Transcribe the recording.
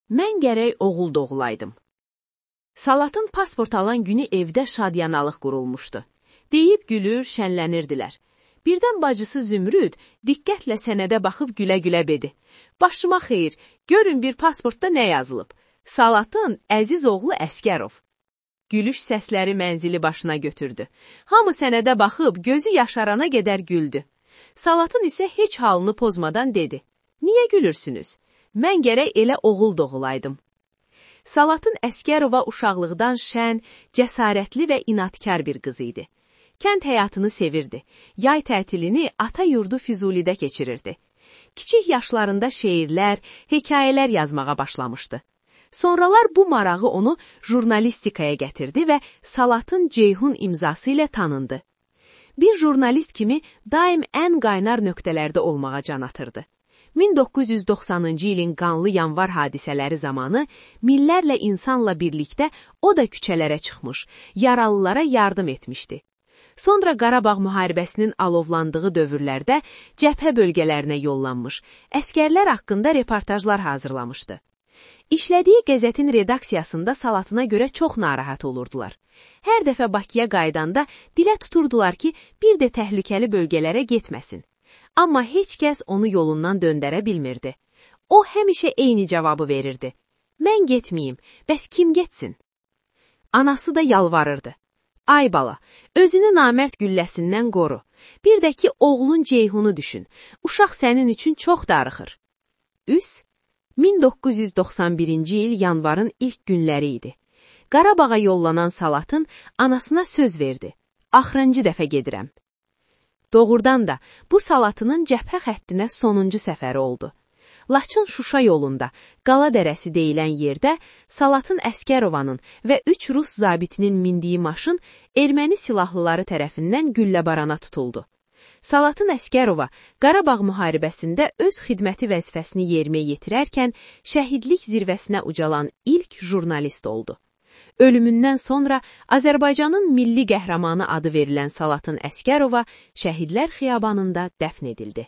Mən gərək oğul doğulaydım. Salatın pasport alan günü evdə şadyanalıq qurulmuşdu. Deyib gülür, şənlənirdilər. Birdən bacısı Zümrüd diqqətlə sənədə baxıb gülə-gülə dedi. Başıma xeyir, görün bir pasportda nə yazılıb? Salatın əziz oğlu Əskərov. Gülüş səsləri mənzili başına götürdü. Hamı sənədə baxıb gözü yaşarana qədər güldü. Salatın isə heç halını pozmadan dedi. Niyə gülürsünüz? Mən gərək elə oğul doğulaydım. Salatın Əskərova uşaqlıqdan şən, cəsarətli və inadkar bir qız idi. Kənd həyatını sevirdi. Yay tətilini ata yurdu Füzulidə keçirirdi. Kiçik yaşlarında şeirlər, hekayələr yazmağa başlamışdı. Sonralar bu marağı onu jurnalistikaya gətirdi və Salatın Ceyhun imzası ilə tanındı. Bir jurnalist kimi daim ən qaynar nöqtələrdə olmağa can atırdı. 1990-cı ilin qanlı yanvar hadisələri zamanı minlərlə insanla birlikdə o da küçələrə çıxmış, yaralılara yardım etmişdi. Sonra Qarabağ müharibəsinin alovlandığı dövrlərdə cəbhə bölgələrinə yollanmış, əskərlər haqqında reportajlar hazırlamışdı. İşlədiyi qəzetin redaksiyasında Salatına görə çox narahat olurdular. Hər dəfə Bakıya qaydanda dilə tuturdular ki, bir də təhlükəli bölgələrə getməsin. Amma heç kəs onu yolundan döndərə bilmirdi. O həmişə eyni cavabı verirdi. Mən getməyim, bəs kim getsin? Anası da yalvarırdı. Ay bala, özünü namərd gülləsindən qoru. Bir də ki, oğlun Ceyhunu düşün. Uşaq sənin üçün çox darıxır. Üs, 1991-ci il yanvarın ilk günləri idi. Qarabağa yollanan Salatın anasına söz verdi. Axırıncı dəfə gedirəm. Doğrudan da bu Salatının cəbhə xəttinə sonuncu səfəri oldu. Laçın-Şuşa yolunda, Qala dərəsi deyilən yerdə Salatın Əskərovanın və 3 Rus zabitinin mindiyi maşın erməni silahlıları tərəfindən gülləbarana tutuldu. Salatın Əskərova Qarabağ müharibəsində öz xidməti vəzifəsini yerinə yetirərkən şəhidlik zirvəsinə ucalan ilk jurnalist oldu. Ölümündən sonra Azərbaycanın milli qəhrəmanı adı verilən Salatın Əskərova Şəhidlər Xiyabanında dəfn edildi.